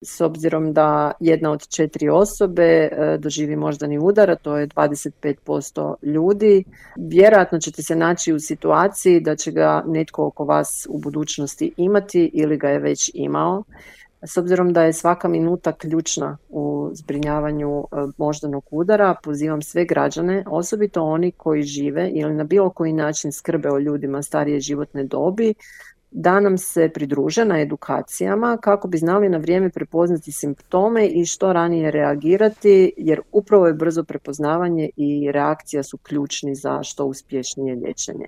s obzirom da 1 od 4 osobe doživi moždani udar, a to je 25% ljudi. Vjerojatno ćete se naći u situaciji da će ga netko oko vas u budućnosti imati ili ga je već imao. S obzirom da je svaka minuta ključna u zbrinjavanju moždanog udara, pozivam sve građane, osobito oni koji žive ili na bilo koji način skrbe o ljudima starije životne dobi, da nam se pridruže na edukacijama kako bi znali na vrijeme prepoznati simptome i što ranije reagirati, jer upravo je brzo prepoznavanje i reakcija su ključni za što uspješnije liječenje.